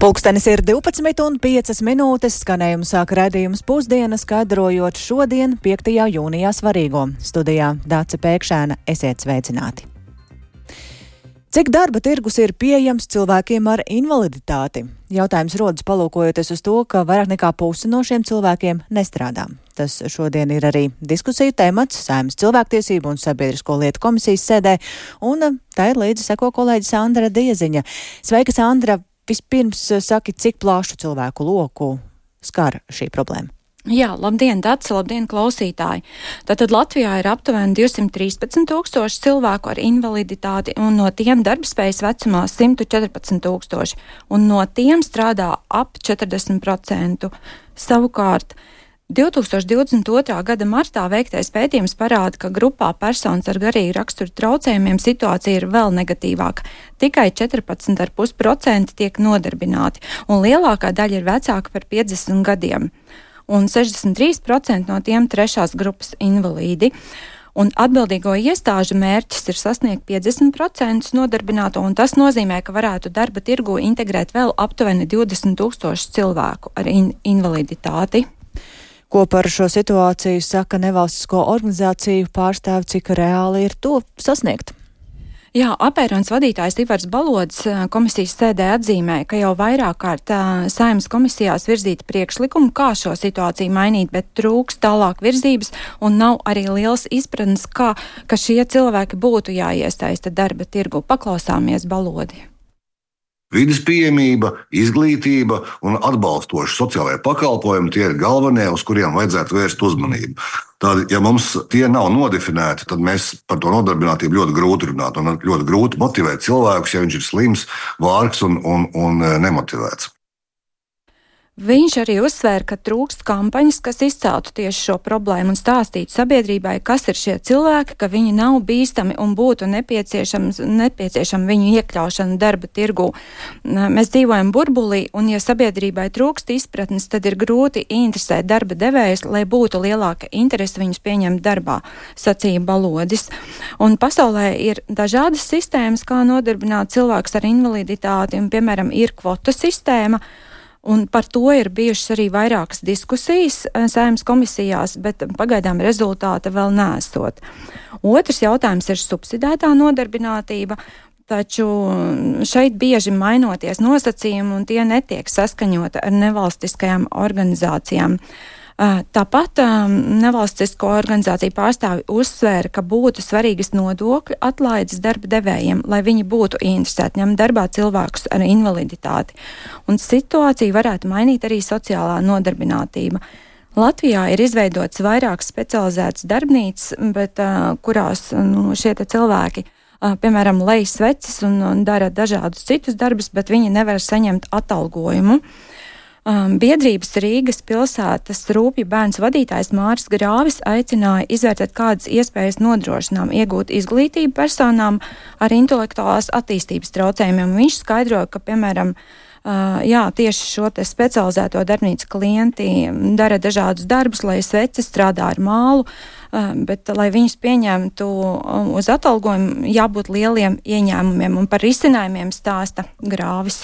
Pulkstenis ir 12:05, skanējumu sāk raidījums Pusdienas, skaidrojot šodien, 5. jūnijā svarīgo. Studijā Dāce Pēkšēna, esiet sveicināti. Cik darba tirgus ir pieejams cilvēkiem ar invaliditāti? Jautājums rodas palūkojoties uz to, ka vairāk nekā puse no šiem cilvēkiem nestrādā. Tas šodien ir arī diskusiju temats Saeimas cilvēktiesību un sabiedrisko lietu komisijas sēdē, un tā ir līdzi seko kolēģi Sandra Dieziņa. Sveika, Sandra! Vispirms saki, cik plašu cilvēku loku skar šī problēma? Jā, labdien, Dace, labdien, klausītāji! Tātad Latvijā ir aptuveni 213 tūkstoši cilvēku ar invaliditāti, un no tiem darbspējas vecumā 114 tūkstoši, un no tiem strādā ap 40%. Savukārt, 2022. gada martā veiktais pētījums parāda, ka grupā personas ar garīgu raksturu traucējumiem situācija ir vēl negatīvāka. Tikai 14,5% tiek nodarbināti, un lielākā daļa ir vecāka par 50 gadiem, un 63% no tiem trešās grupas invalīdi. Un atbildīgo iestāžu mērķis ir sasniegt 50% nodarbināto, un tas nozīmē, ka varētu darba tirgu integrēt vēl aptuveni 20 tūkstoši cilvēku ar invaliditāti. Ko par šo situāciju saka nevalstisko organizāciju pārstāvi, cik reāli ir to sasniegt? Jā, apērons vadītājs Ivars Balodis komisijas sēdē atzīmēja, ka jau vairāk kārt Saeimas komisijās virzīta priekšlikuma, kā šo situāciju mainīt, bet trūks tālāk virzības un nav arī liels izpratnes, ka šie cilvēki būtu jāiesaista darba tirgu. Paklausāmies Balodi. Vides pieejamība, izglītība un atbalstoši sociālajie pakalpojumi tie ir galvenie, uz kuriem vajadzētu vērst uzmanību. Tad, ja mums tie nav nodefinēti, tad mēs par to nodarbinātību ļoti grūti runāt un ļoti grūti motivēt cilvēkus, ja viņš ir slims, vārgs un nemotivēts. Viņš arī uzsvēra, ka trūkst kampaņas, kas izceltu tieši šo problēmu un stāstītu sabiedrībai, kas ir šie cilvēki, ka viņi nav bīstami un būtu nepieciešama viņu iekļaušana darba tirgū. Mēs dzīvojam burbulī, un ja sabiedrībai trūkst izpratnes, tad ir grūti interesēt darba devējus, lai būtu lielāka interese viņus pieņemt darbā, sacīja Balodis. Un pasaulē ir dažādas sistēmas, kā nodarbināt cilvēkus ar invaliditāti, un, piemēram, ir kvotu sistēma. Un par to ir bijušas arī vairākas diskusijas Saeimas komisijās, bet pagaidām rezultāta vēl neesot. Otrs jautājums ir subsidētā nodarbinātība, taču šeit bieži mainoties nosacījumi un tie netiek saskaņota ar nevalstiskajām organizācijām. Tāpat nevalstisko organizāciju pārstāvi uzsvēra, ka būtu svarīgas nodokļu atlaides darba devējiem, lai viņi būtu interesēti ņemt darbā cilvēkus ar invaliditāti. Un situāciju varētu mainīt arī sociālā nodarbinātība. Latvijā ir izveidots vairākas specializētas darbnīcas, bet kurās šie cilvēki piemēram, lej sveces un dara dažādus citus darbus, bet viņi nevar saņemt atalgojumu. Biedrības Rīgas pilsētas rūpju bērns vadītājs Māris Grāvis aicināja izvērtēt, kādas iespējas nodrošinām iegūt izglītību personām ar intelektuālās attīstības traucējumiem. Viņš skaidroja, ka, piemēram, tieši šo te specializēto darbnīcu klienti dara dažādus darbus, lai sveces strādā ar mālu, bet, lai viņus pieņemtu uz atalgojumu, jābūt lieliem ieņēmumiem, un par risinājumiem stāsta Grāvis.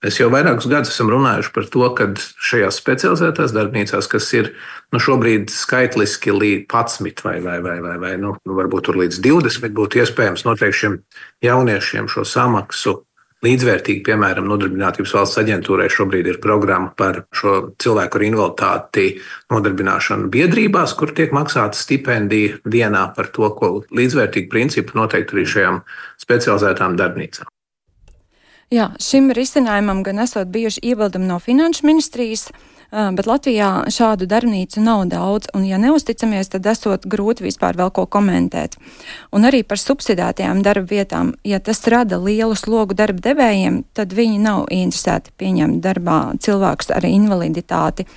Mēs jau vairākus gadus esam runājuši par to, ka šajās specializētās darbnīcās, kas ir šobrīd skaitliski līdz 11 vai varbūt tur līdz 20, būtu iespējams noteikt šiem jauniešiem šo samaksu līdzvērtīgi, piemēram, Nodarbinātības valsts aģentūrai šobrīd ir programma par šo cilvēku ar invaliditāti nodarbināšanu biedrībās, kur tiek maksāta stipendija dienā par to, ko līdzvērtīgi principu noteikti arī šajām specializētām darbnīcām. Jā, šim risinājumam gan esot bijuši iebildumi no Finanšu ministrijas, bet Latvijā šādu darbnīcu nav daudz, un ja neusticamies, tad esot grūti vispār vēl ko komentēt. Un arī par subsidētajām darba vietām, ja tas rada lielu slogu darba devējiem, tad viņi nav interesēti pieņemt darbā cilvēkus ar invaliditāti.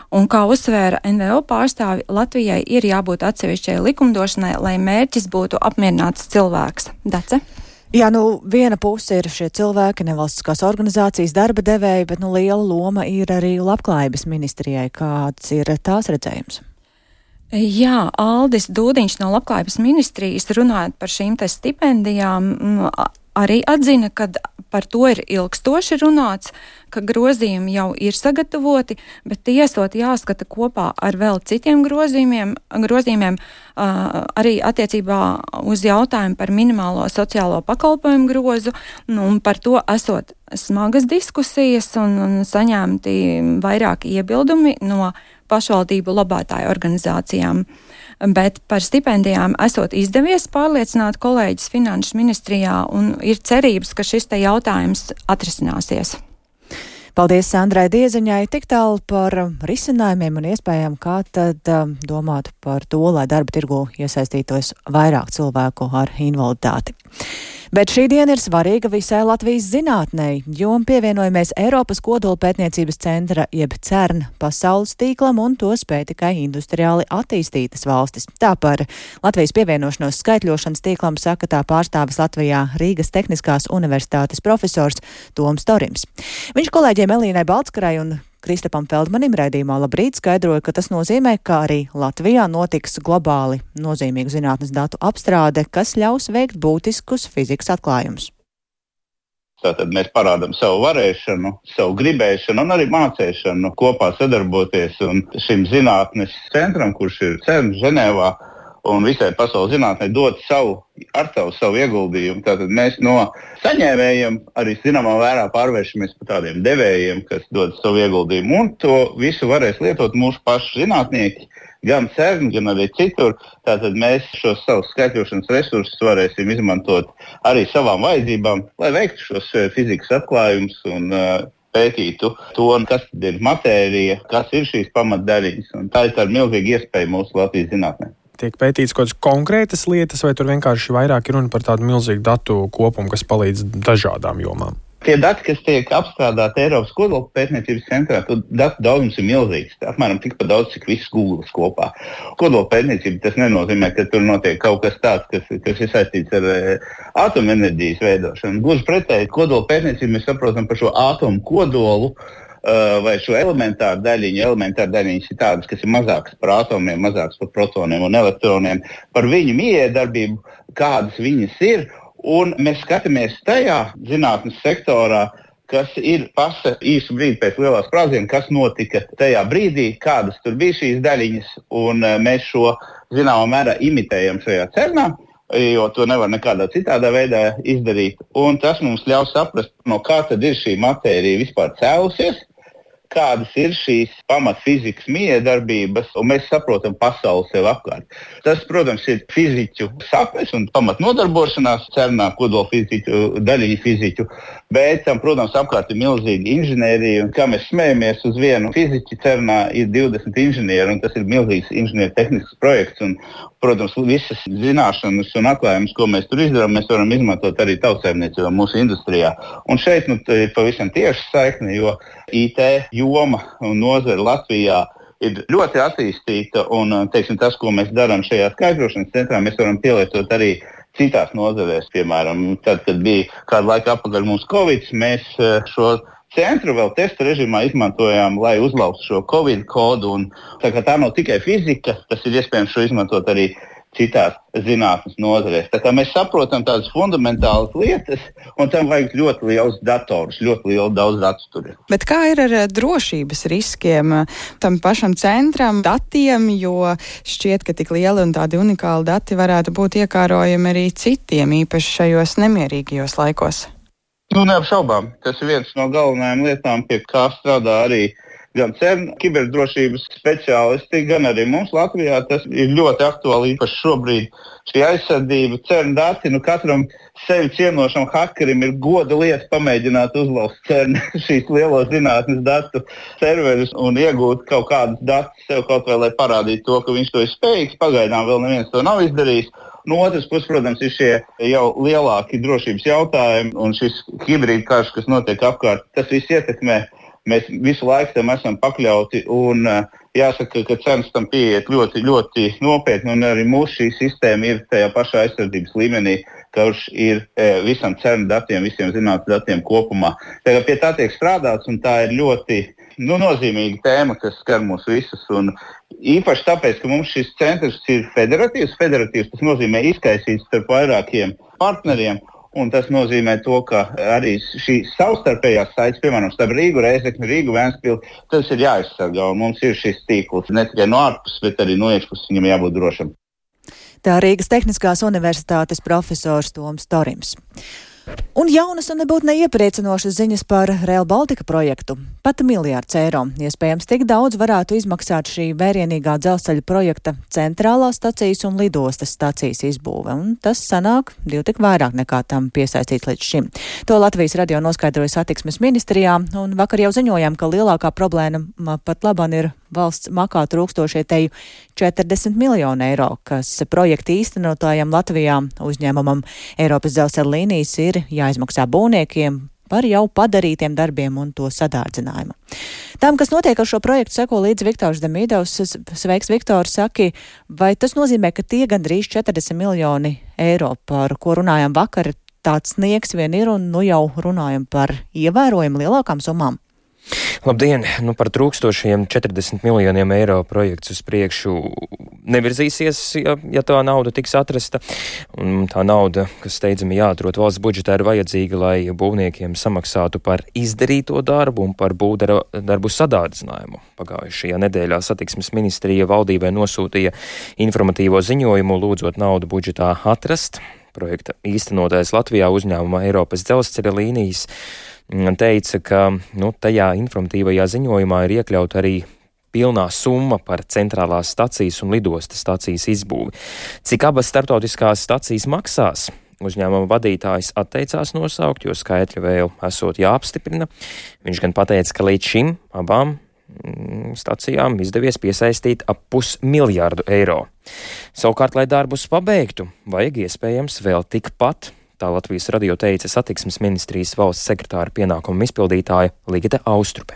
Un kā uzsvēra NVO pārstāvi, Latvijai ir jābūt atsevišķai likumdošanai, lai mērķis būtu apmierināts cilvēks. Dace? Jā, viena puse ir šie cilvēki, nevalstiskās organizācijas darba devēji, bet liela loma ir arī Labklājības ministrijai. Kāds ir tās redzējums? Jā, Aldis Dūdiņš no Labklājības ministrijas runājot par šīm te stipendijām arī atzina, ka par to ir ilgstoši runāts, ka grozījumi jau ir sagatavoti, bet tie esot jāskata kopā ar vēl citiem grozījumiem arī attiecībā uz jautājumu par minimālo sociālo pakalpojumu grozu, un par to esot smagas diskusijas un saņemti vairāki iebildumi no pašvaldību labātāju organizācijām. Bet par stipendijām esot izdevies pārliecināt kolēģis Finanšu ministrijā un ir cerības, ka šis te jautājums atrisināsies. Paldies Sandrai Dieziņai, tik tālu par risinājumiem un iespējām, kā tad domāt par to, lai darba tirgu iesaistītos vairāk cilvēku ar invaliditāti. Bet šī diena ir svarīga visai Latvijas zinātnei, jo pievienojamies Eiropas kodolpētniecības centra jeb CERN pasaules tīklam un to spēj tikai industriāli attīstītas valstis. Tā par Latvijas pievienošanos skaitļošanas tīklam saka tā pārstāvis Latvijā Rīgas Tehniskās universitātes profesors Toms Torims. Viņš kolēģiem Elīnai Baltskarai un Kristapam Feldmanim raidījumā Labrīt skaidroja, ka tas nozīmē, ka arī Latvijā notiks globāli nozīmīgu zinātnes datu apstrāde, kas ļaus veikt būtiskus fizikas atklājumus. Tātad mēs parādām savu varēšanu, savu gribēšanu un arī mācēšanu kopā sadarboties. Un šim zinātnes centram, kurš ir CERN Ženēvā un visai pasaules zinātnē, dot savu ieguldījumu. Tātad mēs no saņēmējiem arī zināmā vērā pārvēršamies par tādiem devējiem, kas dod savu ieguldījumu. Un to visu varēs lietot mūsu pašu zinātnieki, gan CERN, gan arī citur. Tātad mēs šos savus skaitļošanas resursus varēsim izmantot arī savām vajadzībām, lai veiktu šos fizikas atklājumus un pētītu to, kas tad ir matērija, kas ir šīs pamatdaļiņas. Un tā ir tāda milzīga iespēja mūsu Latvijas zinātnē. Tiek pētīts kaut kādas konkrētas lietas, vai tur vienkārši vairāk ir runa par tādu milzīgu datu kopumu, kas palīdz dažādām jomām? Tie dati, kas tiek apstrādāti Eiropas kodolpētniecības centrā, to datu daudzums ir milzīgs. Apmēram tikpat daudz, cik viss Google kopā. Kodolpētniecība tas nenozīmē, ka tur notiek kaut kas tāds, kas ir saistīts ar atomenerģijas veidošanu. Gluži pretēji, kodolpētniecību mēs saprotam par šo atomu kodolu, vai šo elementāru daļiņu. Elementāru daļiņas ir tādas, kas ir mazākas par atomiem, mazākas par protoniem un elektroniem, par viņu miedarbību, kādas viņas ir, un mēs skatāmies tajā zinātnes sektorā, kas ir pasa īsu brīdi pēc lielā sprādziena, kas notika tajā brīdī, kādas tur bija šīs daļiņas, un mēs šo zināmā mērā imitējam šajā CERNā, jo to nevar nekādā citādā veidā izdarīt, un tas mums ļaus saprast, no kā tad ir šī matērija vispār cēlusies, kādas ir šīs pamatfizikas miedarbības, un mēs saprotam pasauli sev apkārt. Tas, protams, ir fiziķu sapnes un pamatnodarbošanās CERNā, kodolfiziķu, daļiņu fiziķu, bet tam, protams, apkārt ir milzīga inženierija, un kā mēs smējamies uz vienu fiziķu CERNā ir 20 inženieri, un tas ir milzīgs inženieru tehnisks projekts, un, protams, visas zināšanas un atklājumus, ko mēs tur izdarām, mēs varam izmantot arī tautsēmniecībā mūsu industrijā. Un šeit ir pavisam tieši saikne, jo IT joma un nozare Latvijā ir ļoti attīstīta, un teiksim, tas, ko mēs darām šajā skaidrošanas centrā, mēs varam pielietot arī citās nozarēs. Piemēram, tad, kad bija kādu laiku atpakaļ mums Covid, mēs šo centru vēl testa režīmā izmantojām, lai uzlauztu šo Covid kodu. Un, tā nav tikai fizika, tas ir iespējams šo izmantot arī citās zinātnes nozarēs. Tā kā mēs saprotam tādas fundamentālas lietas, un tam vajag ļoti liels dators, ļoti lielu daudz datu tur. Bet kā ir ar drošības riskiem tam pašam centram, datiem, jo šķiet, ka tik lieli un tādi unikāli dati varētu būt iekārojami arī citiem, īpaši šajos nemierīgajos laikos? Neapšaubām. Tas ir viens no galvenajām lietām, pie kā strādā arī gan CERN kiberdrošības speciālisti, gan arī mums Latvijā. Tas ir ļoti aktuāli, īpaši šobrīd šī aizsardzība, CERN dati. Katram sevi cienošam hakerim ir goda lieta pamēģināt uzlauzt CERN šīs lielo zinātnes datu serverus un iegūt kaut kādus datus sev kaut vai, lai parādītu to, ka viņš to ir spējīgs. Pagaidām vēl neviens to nav izdarījis. No otras puses, protams, ir šie jau lielāki drošības jautājumi un šis hibrīd karš, kas notiek apkārt, tas viss ietekmē. Mēs visu laiku tam esam pakļauti un jāsaka, ka CERNs tam pieiet ļoti, ļoti nopietni un arī mūsu šī sistēma ir tajā pašā aizsardzības līmenī, kurš ir visam CERN datiem, visiem zinātnes datiem kopumā. Tagad pie tā tiek strādāts un tā ir ļoti nozīmīga tēma, kas skar mūs visus. Un īpaši tāpēc, ka mums šis centrs ir federatīvs, tas nozīmē izkaisīts starp vairākiem partneriem. Un tas nozīmē to, ka arī šī savstarpējās saites, piemēram, starp Rīgu, Rēzekni, Rīgu, Ventspili, tas ir jāizsargā. Un mums ir šis tīkls ne tikai no ārpuses, bet arī no iekšpuses viņam jābūt drošam. Tā Rīgas Tehniskās universitātes profesors Toms Torims. Un jaunas un nebūtu neiepriecinošas ziņas par Rail Baltica projektu. Pat miljards eiro. Iespējams, tik daudz varētu izmaksāt šī vērienīgā dzelzceļa projekta centrālās stacijas un lidostas stacijas izbūve. Un tas sanāk divtik vairāk nekā tam piesaistīts līdz šim. To Latvijas radio noskaidroja satiksmes ministrijā, un vakar jau ziņojām, ka lielākā problēma pat labāk ir valsts makā trūkstošie teju 40 miljonu eiro, kas projekta īstenotājiem Latvijā uzņēmumam Eiropas dzelzceļa līnijas ir jāizmaksā būvniekiem par jau padarītiem darbiem un to sadārdzinājumu. Tam, kas notiek ar šo projektu, seko līdz Viktors Demīdovs. Sveiks, Viktor, saki, vai tas nozīmē, ka tie gandrīz 40 miljoni eiro, par ko runājām vakar, tāds sniegs vien ir, un nu jau runājam par ievērojami lielākām summām? Labdien! Par trūkstošiem 40 miljoniem eiro projekts uz priekšu nevirzīsies, ja tā nauda tiks atrasta. Un tā nauda, kas steidzami jāatrod valsts budžetā, ir vajadzīga, lai būvniekiem samaksātu par izdarīto darbu un par būvdarbu sadārdzinājumu. Pagājušajā nedēļā satiksmes ministrija valdībai nosūtīja informatīvo ziņojumu, lūdzot naudu budžetā atrast. Projekta īstenotājs Latvijā uzņēmuma Eiropas dzelzceļa līnijas teica, ka tajā informatīvajā ziņojumā ir iekļauta arī pilnā summa par centrālās stacijas un lidostas stacijas izbūvi. Cik abas starptautiskās stacijas maksās, uzņēmuma vadītājs atteicās nosaukt, jo skaitļi vēl esot jāapstiprina. Viņš gan pateica, ka līdz šim abām stacijām izdevies piesaistīt ap 500 miljārdu eiro. Savukārt, lai darbus pabeigtu, vajag iespējams vēl tikpat. Tā Latvijas radio teica satiksmes ministrijas valsts sekretāra pienākumu izpildītāja Ligita Austrupe.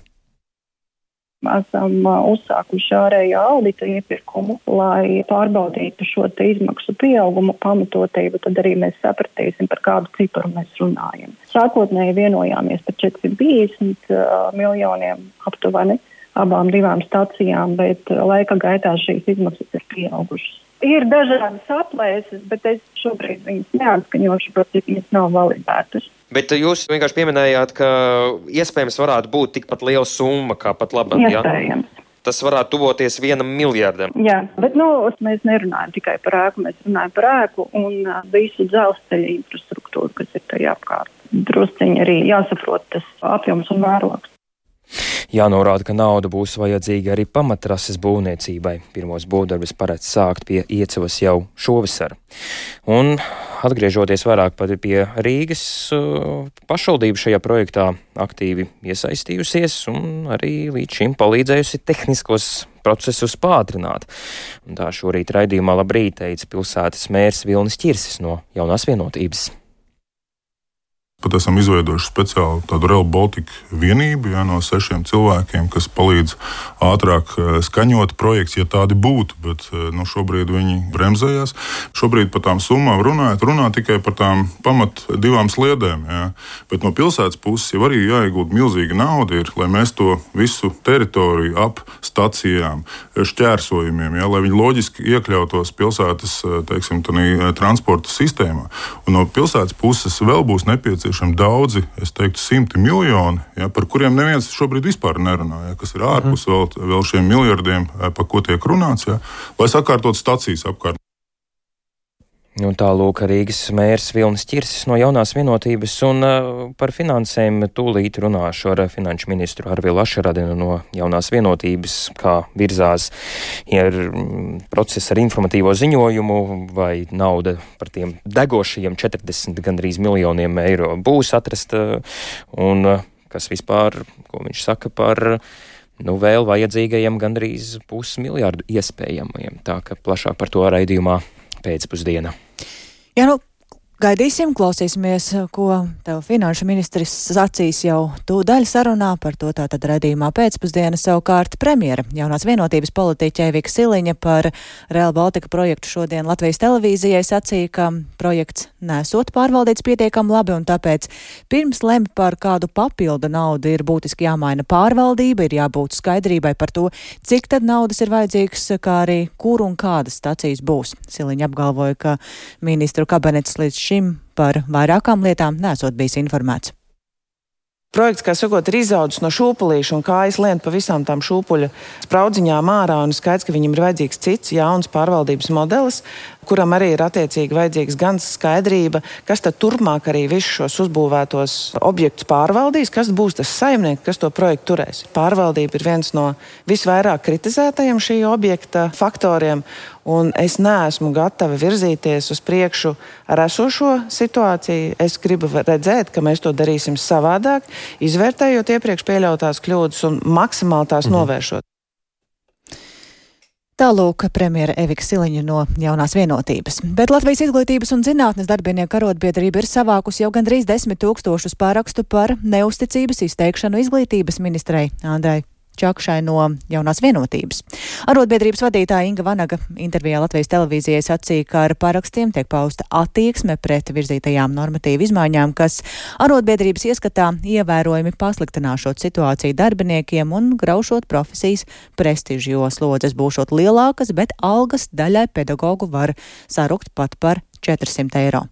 Esam uzsākuši ārējā audita iepirkumu, lai pārbaudītu šo te izmaksu pieaugumu pamatotību, tad arī mēs sapratīsim, par kādu ciparu mēs runājam. Sākotnēji vienojāmies par 450 miljoniem aptuveni abām divām stacijām, bet laika gaitā šīs izmaksas ir pieaugušas. Ir dažādas aplēses, bet es šobrīd viņas neatskaņošu, bet viņas nav validētas. Bet jūs vienkārši pieminējāt, ka iespējams varētu būt tikpat liela summa, kā pat labāk. Iespējams. Ja? Tas varētu tuvoties 1 miljardam. Jā, bet mēs nerunājam tikai par ēku, mēs runājam par ēku un visu dzelzceļa infrastruktūru, kas ir tajā apkārt. Drusciņi arī jāsaprot tas apjoms un mērogs. Jānorāda, ka nauda būs vajadzīga arī pamatrases būvniecībai. Pirmos būvdarbus paredz sākt pie Iecavas jau šovasar. Un atgriežoties vairāk pie Rīgas, pašvaldība šajā projektā aktīvi iesaistījusies un arī līdz šim palīdzējusi tehniskos procesus pātrināt. Un tā šorīt raidījumā Labrīt teica pilsētas mērs Vilnis Ķirsis no Jaunās Vienotības. Pat esam izveidojuši speciālu tādu Rail Baltica vienību no 6 cilvēkiem, kas palīdz ātrāk skaņot projekts, ja tādi būtu, bet šobrīd viņi bremzējās. Šobrīd par tām summām runā tikai par tām pamat 2 sliedēm. Ja. Bet no pilsētas puses jau arī jāiegūt milzīga nauda, lai mēs to visu teritoriju ap stacijām, šķērsojumiem, lai viņi loģiski iekļautos pilsētas, transporta sistēmā. Un no pilsētas puses vēl būs nepieciešams daudzi, es teiktu, 100 miljoni, par kuriem neviens šobrīd vispār nerunā, kas ir ārpus vēl šiem miljardiem, par ko tiek runāts, lai sakārtot stacijas apkārt. Un tālūk Rīgas mērs Vilnis Ķirsis no Jaunās Vienotības, un par finansēm tūlīt runāšu ar finanšu ministru Arvilu Ašaradinu no Jaunās Vienotības, kā virzās process ar informatīvo ziņojumu, vai nauda par tiem degošajiem 40 gandrīz miljoniem eiro būs atrasta, un kas vispār, ko viņš saka par vēl vajadzīgajiem gandrīz 500 miljārdu iespējamajiem. Tā ka plašāk par to raidījumā pēcpusdiena. Jā, gaidīsim, klausīsimies, ko tev finanšu ministrs sacīs jau tūdaļ sarunā, par to tātad raidījumā pēcpusdiena. Savukārt premjera Jaunās Vienotības politiķe Evika Siliņa par Rail Baltica projektu šodien Latvijas televīzijai sacīja, ka projekts nesot pārvaldīts pietiekami labi, un tāpēc pirms lemj par kādu papildu naudu ir būtiski jāmaina pārvaldība, ir jābūt skaidrībai par to, cik tad naudas ir vajadzīgs, kā arī kur un kādas stacijas būs. Siliņa apgalvoja, ka ministru kabinets līdz šim par vairākām lietām nesot bijis informēts. Projekts, kā sakot, ir izaudzis no šūpulīša un kājas lien pa visām tām šūpuļa spraudziņām ārā, un skaidrs, ka viņam ir vajadzīgs cits jauns pārvaldības modelis, kuram arī ir attiecīgi vajadzīgs gan skaidrība, kas tad turpmāk arī visus šos uzbūvētos objektus pārvaldīs, kas būs tas saimnieks, kas to projektu turēs. Pārvaldība ir viens no visvairāk kritizētajiem šī objekta faktoriem, un es neesmu gatava virzīties uz priekšu ar esošo situāciju. Es gribu redzēt, ka mēs to darīsim savādāk, izvērtējot iepriekš pieļautās kļūdas un maksimāli tās novēršot. Tālūk premjera Evika Siliņa no Jaunās vienotības. Bet Latvijas izglītības un zinātnes darbinieku arotbiedrība ir savākusi jau gandrīz 10 000 pārakstu par neusticības izteikšanu izglītības ministrei Andrai Čakšai no Jaunās vienotības. Arotbiedrības vadītāja Inga Vanaga intervijā Latvijas televīzijai sacīja, ka ar parakstiem tiek pausta attieksme pret virzītajām normatīvu izmaiņām, kas arotbiedrības ieskatā ievērojami pasliktināšot situāciju darbiniekiem un graušot profesijas prestižu, jo slodzes būšot lielākas, bet algas daļai pedagogu var sarukt pat par 400 eiro.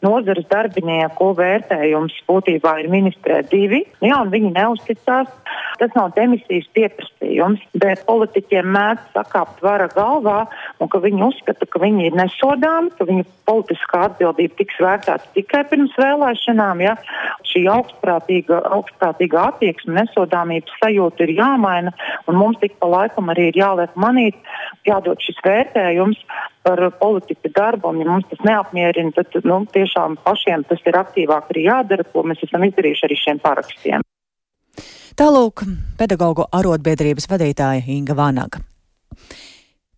Nozares darbinieku vērtējums būtībā ir ministrē 2, un viņi neuzticās. Tas nav demisijas pieprasījums, bet politiķiem mēdz sakāpt vara galvā, un ka viņi uzskata, ka viņi ir nesodāmi, ka viņu politiskā atbildība tiks vērtēta tikai pirms vēlēšanām. Ja? Šī augstprātīga attieksme, nesodāmības sajūta ir jāmaina, un mums tik pa laikam arī ir jāliek manīt, jādod šis vērtējums par politika darbu, un ja mums tas neapmierina, tad tiešām pašiem tas ir aktīvāk arī jādara, ko mēs esam izdarījuši arī šiem parakstiem. Tālūk pedagogu arotbiedrības vadītāja Inga Vanaga.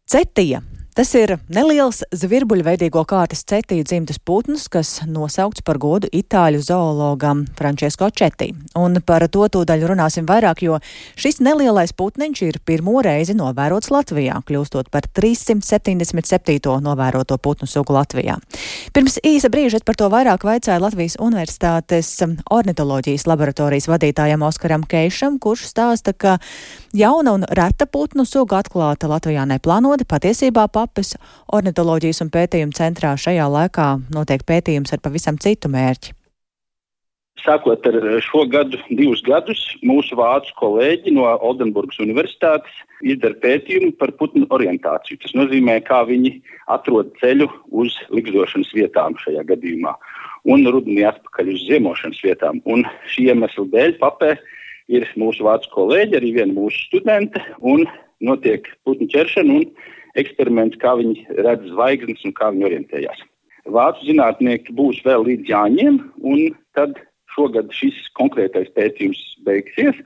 Cetija. Tas ir neliels zvirbuļveidīgo kārtas cetiju dzimtas putns, kas nosaukts par godu itāļu zoologam Francesco Cetī. Un par to tūdaļ runāsim vairāk, jo šis nelielais putniņš ir pirmo reizi novērots Latvijā, kļūstot par 377. novēroto putnu sugu Latvijā. Pirms īsa brīža par to vairāk vaicāja Latvijas Universitātes ornitoloģijas laboratorijas vadītājam Oskaram Keišam, kurš stāsta, ka jauna un reta putnu suga atklāta Latvijā neplānoti, patiesībā Papes ornitoloģijas un pētījumu centrā šajā laikā notiek pētījums ar pavisam citu mērķi. Sākot ar šo gadu, 2 gadus, mūsu vācu kolēģi no Oldenburgas universitātes izdara pētījumu par putnu orientāciju. Tas nozīmē, kā viņi atrod ceļu uz ligzdošanas vietām šajā gadījumā un rudenī atpakaļ uz ziemošanas vietām. Un šī iemesla dēļ Papē ir mūsu vācu kolēģi, arī viena mūsu studente, un notiek putnu ķeršana un eksperiments, kā viņi redz zvaigznes un kā viņi orientējās. Vācu zinātnieki būs vēl līdz Jāņiem, un tad šogad šis konkrētais pētījums beigsies,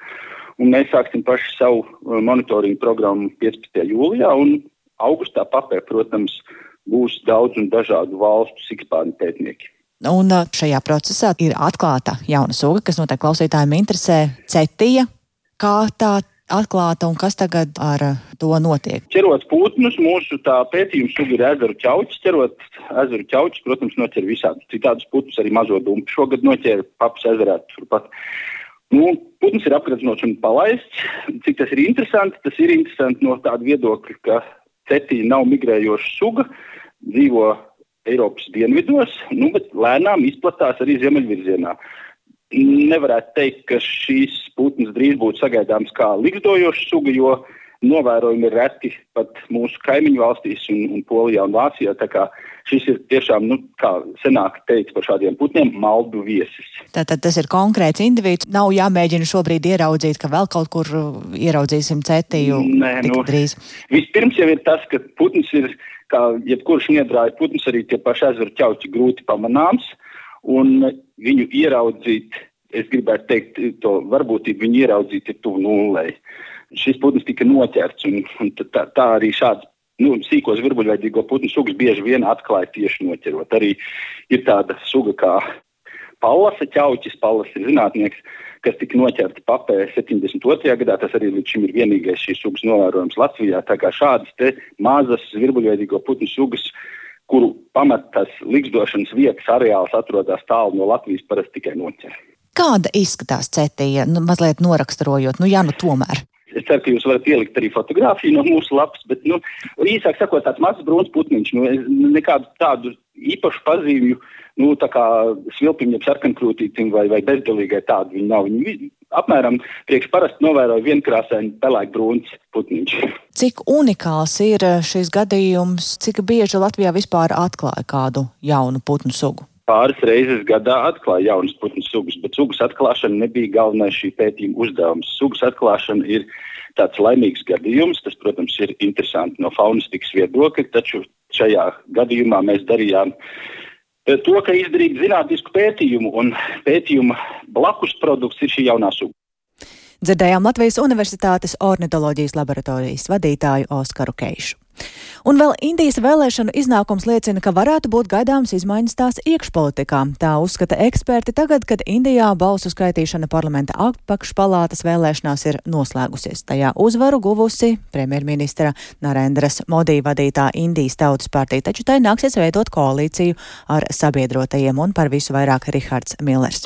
un mēs sāksim paši savu monitoringu programmu 15. jūlijā, un augustā Papē, protams, būs daudz un dažādu valstu sikspārņu pētnieki. Un šajā procesā ir atklāta jauna suga, kas noteikti klausītājiem interesē, cetija. Kā tā atklāta un kas tagad ar to notiek? Ķerot putnus, mūsu tā pētījuma suga ir ezeru ķauķis. Ķerot ezeru ķauķis, protams, noķer visādus citādus putnus, arī mazo dumpi. Šogad noķēra Papas ezerā turpat. Putns ir apgradznots un palaists. Cik tas ir interesanti no tāda viedokļa, ka cetija nav migrējoša suga, dzīvo Eiropas dienvidos, bet lēnām izplatās arī ziemeļvirzienā. Nevarētu teikt, ka šīs putns drīz būtu sagaidāms kā ligzdojoša suga, jo novērojumi ir reti pat mūsu kaimiņu valstīs un Polijā un Vācijā. Tā kā šis ir tiešām, kā senāk teica par šādiem putniem, maldu viesis. Tātad tas ir konkrēts individs. Nav jāmēģina šobrīd ieraudzīt, ka vēl kaut kur ieraudzīsim cetiju tik drīz. Vispirms jau ir tas, ka putns ir, kā jebkurš niedrāja putns, arī tie paši ezeru ķauķi grūti pamanāms, un viņu ieraudzīt, es gribētu teikt, to varbūtību viņu ieraudzīt ir tuvu nullei. Šis putns tika noķerts, un tā arī šāds sīkos virbuļveidīgo putnu sugas bieži vien atklāja tieši noķerot. Arī ir tāda suga kā Pallasa ķauķis. Pallas ir zinātnieks, kas tika noķerta Papē 72. gadā. Tas arī līdz šim ir vienīgais šīs sugas novērojums Latvijā. Tā kā šādas te mazas virbuļveidīgo putnu sugas, kuru pamatas ligzdošanas vietas areāls atrodas tālu no Latvijas, parasti tikai noķer. Kāda izskatās cetija? Mazliet noraksturojot, tomēr. Es ceru, ka jūs varat ielikt arī fotogrāfiju no mūsu lapas, bet, īsāk sakot, tāds mazs brūns putniņš. Es nekādu tādu īpašu pazīmju, tā kā svilpim, jeb sarkankrūtītim vai bezdelīgai tādu viņi nav. Viņi apmēram priekš parasti novēroja vienkrāsaini pelēkbrūns putniņš. Cik unikāls ir šis gadījums, cik bieži Latvijā vispār atklāja kādu jaunu putnu sugu? Pāris reizes gadā atklāja jaunas putnu sugas, bet sugas atklāšana nebija galvenais šī pētījuma uzdevums. Sugas atklāšana ir tāds laimīgs gadījums, tas, protams, ir interesanti no faunistikas viedokļa, taču šajā gadījumā mēs darījām to, ka izdarīt zinātnisku pētījumu, un pētījuma blakus produkts ir šī jaunā suga. Dzirdējām Latvijas Universitātes ornitoloģijas laboratorijas vadītāju Oskaru Keišu. Un vēl Indijas vēlēšanu iznākums liecina, ka varētu būt gaidāmas izmaiņas tās iekšpolitikā. Tā uzskata eksperti tagad, kad Indijā balsu skaitīšana parlamenta apakšpalātas vēlēšanās ir noslēgusies. Tajā uzvaru guvusi premjerministra Narendras Modi vadītā Indijas Tautas partija, taču tai nāksies veidot koalīciju ar sabiedrotajiem, un par visu vairāk Rihards Millers.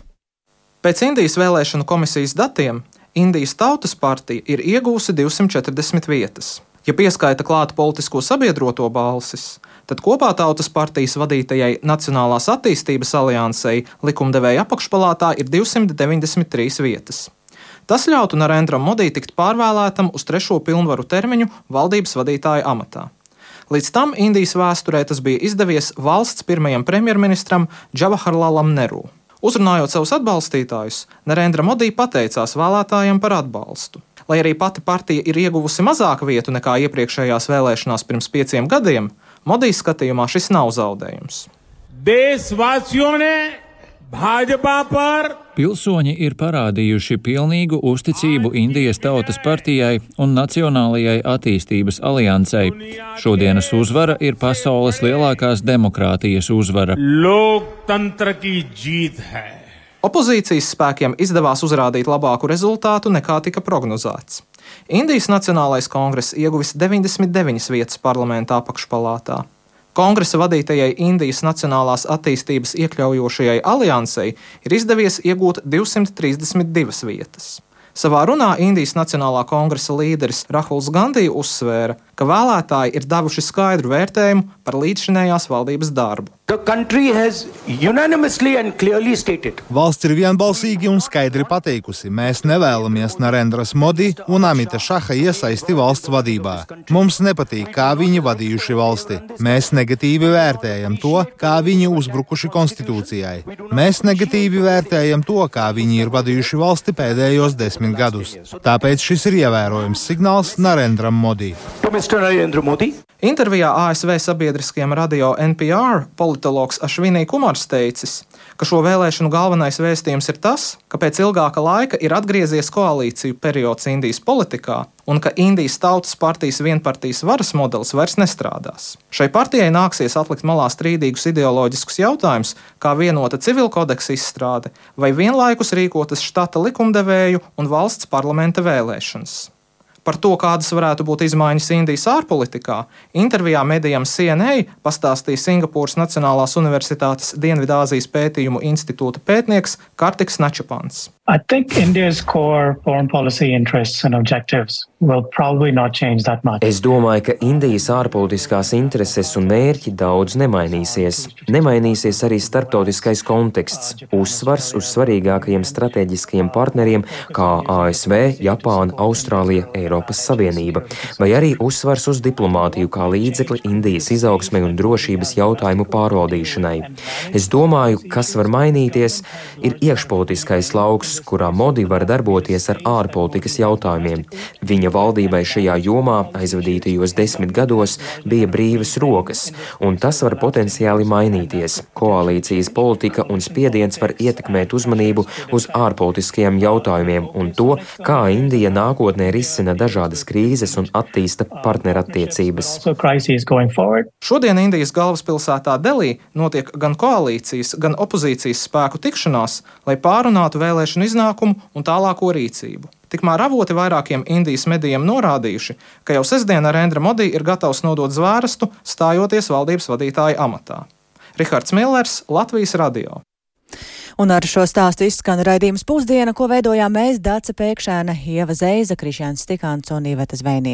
Pēc Indijas vēlēšanu komisijas datiem Indijas Tautas partija ir iegūsi 240 vietas. Ja pieskaita klāt politisko sabiedroto balsis, tad kopā Tautas partijas vadītajai Nacionālās attīstības aliansei likumdevēja apakšpalātā ir 293 vietas. Tas ļautu Narendram Modi tikt pārvēlētam uz 3. pilnvaru termiņu valdības vadītāja amatā. Līdz tam Indijas vēsturē tas bija izdevies valsts pirmajam premjerministram Džavaharlalam Neru. Uzrunājot savus atbalstītājus, Narendra Modi pateicās vēlētājiem par atbalstu. Lai arī pati partija ir ieguvusi mazāk vietu nekā iepriekšējās vēlēšanās pirms 5 gadiem, Modi skatījumā šis nav zaudējums. Pilsoņi ir parādījuši pilnīgu uzticību Indijas Tautas partijai un Nacionālajai attīstības aliansei. Šodienas uzvara ir pasaules lielākās demokrātijas uzvara. Opozīcijas spēkiem izdevās uzrādīt labāku rezultātu nekā tika prognozēts. Indijas Nacionālais kongress ieguvis 99 vietas parlamentā apakšpalātā. Kongresa vadītajai Indijas Nacionālās attīstības iekļaujošajai aliansei ir izdevies iegūt 232 vietas. Savā runā Indijas Nacionālā kongresa līderis Rahuls Gandhi uzsvēra, ka vēlētāji ir devuši skaidru vērtējumu par līdzšinējās valdības darbu. Valsts ir vienbalsīgi un skaidri pateikusi, mēs nevēlamies Narendras Modi un Amita Šaha iesaisti valsts vadībā. Mums nepatīk, kā viņi vadījuši valsti. Mēs negatīvi vērtējam to, kā viņi uzbrukuši konstitūcijai. Mēs negatīvi vērtējam to, kā viņi ir vadījuši valsti pēdējos 10 gadus. Tāpēc šis ir ievērojams signāls Narendram Modi. Intervijā ASV sabiedriskajam radio NPR politologs Ašvinī Kumars teicis, ka šo vēlēšanu galvenais vēstījums ir tas, ka pēc ilgāka laika ir atgriezies koalīciju periods Indijas politikā un ka Indijas Tautas partijas vienpartijas varas modelis vairs nestrādās. Šai partijai nāksies atlikt malā strīdīgus ideoloģiskus jautājumus, kā vienota civilkodeksa izstrāde vai vienlaikus rīkotas štata likumdevēju un valsts parlamenta vēlēšanas. Par to, kādas varētu būt izmaiņas Indijas ārpolitikā, intervijā medijam CNA pastāstīja Singapūras Nacionālās Universitātes Dienvidāzijas pētījumu institūta pētnieks Kartiks Načapans. I think India's core foreign policy interests and objectives will probably not change that much. Es domāju, ka Indijas ārpolitiskās intereses un mērķi daudz nemainīsies. Nemainīsies arī starptautiskais konteksts, uzsvars uz svarīgākajiem strateģiskajiem partneriem kā ASV, Japāna, Austrālija, Eiropas Savienība, vai arī uzsvars uz diplomātiju kā līdzekli Indijas izaugsmei un drošības jautājumu pārvaldīšanai. Es domāju, kas var mainīties, ir iekšpolitiskais lauks, kurā Modi var darboties ar ārpolitikas jautājumiem. Viņa valdībai šajā jomā aizvadītajos 10 gados bija brīvas rokas, un tas var potenciāli mainīties. Koalīcijas politika un spiediens var ietekmēt uzmanību uz ārpolitiskajiem jautājumiem un to, kā Indija nākotnē risina dažādas krīzes un attīsta partnerattiecības. Šodien Indijas galvaspilsētā Delī notiek gan koalīcijas, gan opozīcijas spēku tikšanās, lai pārunātu vēlēšanu iznākumu un tālāko rīcību. Tikmēr avoti vairākiem Indijas medijiem norādījuši, ka jau sestdien Narendra Modi ir gatavs nodot zvērstu, stājoties valdības vadītāja amatā. Rihards Millers, Latvijas radio. Un ar šo stāstu izskan raidījums Pusdiena, ko veidojām mēs, Dace Pēkšēna, Ieva Zeiza, Krišjāns Stikāns un Iveta Zvejniece.